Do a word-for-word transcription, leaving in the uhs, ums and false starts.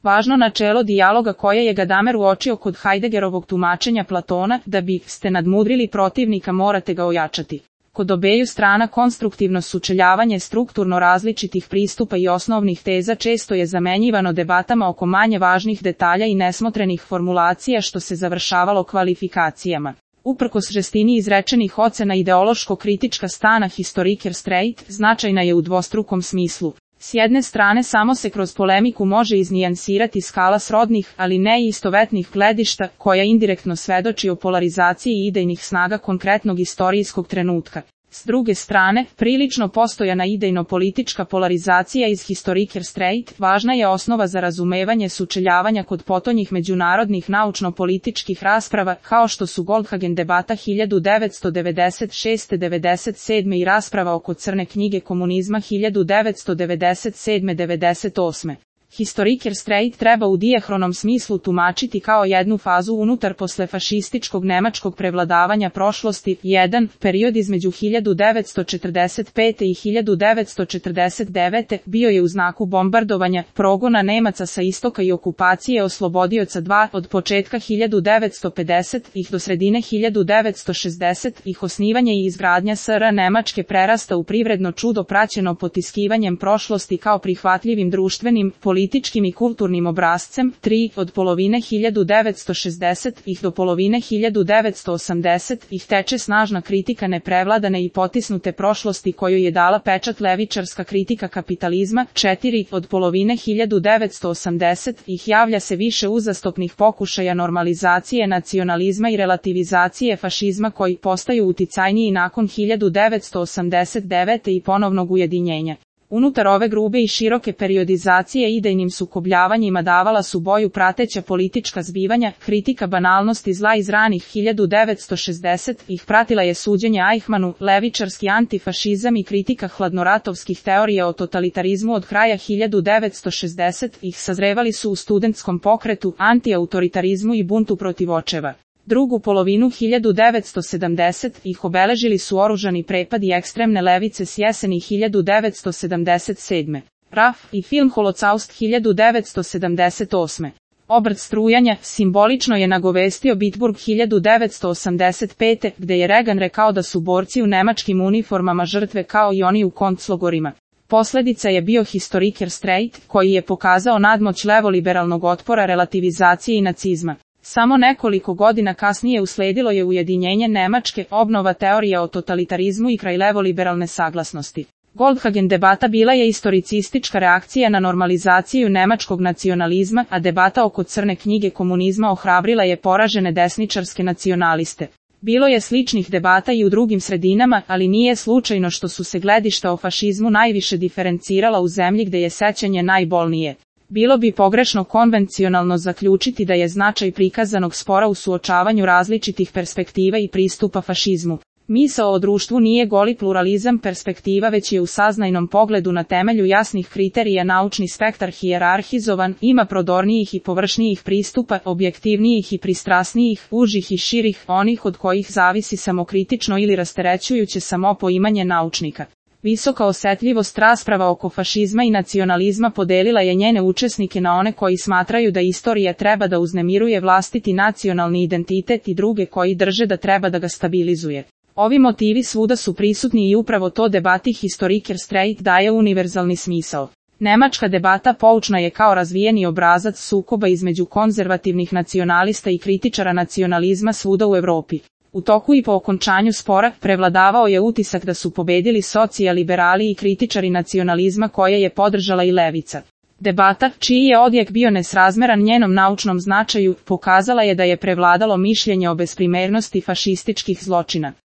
Važno načelo dijaloga koje je Gadamer uočio kod Heideggerovog tumačenja Platona, da bi ste nadmudrili protivnika morate ga ojačati. Kod obeju strana konstruktivno sučeljavanje strukturno različitih pristupa i osnovnih teza često je zamenjivano debatama oko manje važnih detalja i nesmotrenih formulacija što se završavalo kvalifikacijama. Uprkos žestini izrečenih ocena ideološko-kritička stana Historiker Straight značajna je u dvostrukom smislu. S jedne strane samo se kroz polemiku može iznijansirati skala srodnih, ali ne i istovetnih gledišta, koja indirektno svedoči o polarizaciji idejnih snaga konkretnog istorijskog trenutka. S druge strane, prilično postojana idejno-politička polarizacija iz Historiker Straight važna je osnova za razumevanje sučeljavanja kod potonjih međunarodnih naučno-političkih rasprava, kao što su Goldhagen debata hiljadu devetsto devedeset šeste do devedeset sedme i rasprava oko crne knjige komunizma hiljadu devetsto devedeset sedme do devedeset osme. Historiker Straight treba u dijahronom smislu tumačiti kao jednu fazu unutar poslefašističkog nemačkog prevladavanja prošlosti. jedan. Period između hiljadu devetsto četrdeset pete i hiljadu devetsto četrdeset devete bio je u znaku bombardovanja, progona Nemaca sa istoka i okupacije oslobodioca. dva. Od početka hiljadu devetsto pedesetih do sredine hiljadu devetsto šezdesetih osnivanje i izgradnja S R Nemačke prerasta u privredno čudo praćeno potiskivanjem prošlosti kao prihvatljivim društvenim, političkim političkim i kulturnim obrascem. tri. Od polovine hiljadu devetsto šezdesetih do polovine hiljadu devetsto osamdesetih teče snažna kritika neprevladane i potisnute prošlosti koju je dala pečat levičarska kritika kapitalizma. četiri. Od polovine hiljadu devetsto osamdesetih javlja se više uzastopnih pokušaja normalizacije nacionalizma i relativizacije fašizma koji postaju uticajniji nakon hiljadu devetsto osamdeset devete i ponovnog ujedinjenja. Unutar ove grube i široke periodizacije idejnim sukobljavanjima davala su boju prateća politička zbivanja, kritika banalnosti zla iz ranih hiljadu devetsto šezdesetih pratila je suđenje Eichmannu, levičarski antifašizam i kritika hladnoratovskih teorija o totalitarizmu od kraja hiljadu devetsto šezdesetih sazrevali su u studentskom pokretu, antiautoritarizmu i buntu protiv očeva. Drugu polovinu hiljadu devetsto sedamdesetih obeležili su oružani prepad i ekstremne levice s jeseni hiljadu devetsto sedamdeset sedme. Raf i film Holocaust hiljadu devetsto sedamdeset osme. Obrt strujanja simbolično je nagovestio Bitburg hiljadu devetsto osamdeset pete, gde je Reagan rekao da su borci u nemačkim uniformama žrtve kao i oni u konclogorima. Posledica je bio Historiker Straight, koji je pokazao nadmoć levoliberalnog otpora relativizacije i nacizma. Samo nekoliko godina kasnije usledilo je ujedinjenje Nemačke, obnova teorija o totalitarizmu i kraj levoliberalne saglasnosti. Goldhagen debata bila je istoricistička reakcija na normalizaciju nemačkog nacionalizma, a debata oko crne knjige komunizma ohrabrila je poražene desničarske nacionaliste. Bilo je sličnih debata i u drugim sredinama, ali nije slučajno što su se gledišta o fašizmu najviše diferencirala u zemlji gde je sećanje najbolnije. Bilo bi pogrešno konvencionalno zaključiti da je značaj prikazanog spora u suočavanju različitih perspektiva i pristupa fašizmu. Misao o društvu nije goli pluralizam perspektiva, već je u saznajnom pogledu na temelju jasnih kriterija naučni spektar hijerarhizovan, ima prodornijih i površnijih pristupa, objektivnijih i pristrasnijih, užih i širih, onih od kojih zavisi samokritično ili rasterećujuće samopoimanje naučnika. Visoka osetljivost rasprava oko fašizma i nacionalizma podelila je njene učesnike na one koji smatraju da istorija treba da uznemiruje vlastiti nacionalni identitet i druge koji drže da treba da ga stabilizuje. Ovi motivi svuda su prisutni i upravo to debati Historiker Straight daje univerzalni smisao. Nemačka debata poučna je kao razvijeni obrazac sukoba između konzervativnih nacionalista i kritičara nacionalizma svuda u Evropi. U toku i po okončanju spora prevladavao je utisak da su pobedili socijaliberali i kritičari nacionalizma koje je podržala i levica. Debata, čiji je odjek bio nesrazmeran njenom naučnom značaju, pokazala je da je prevladalo mišljenje o besprimernosti fašističkih zločina.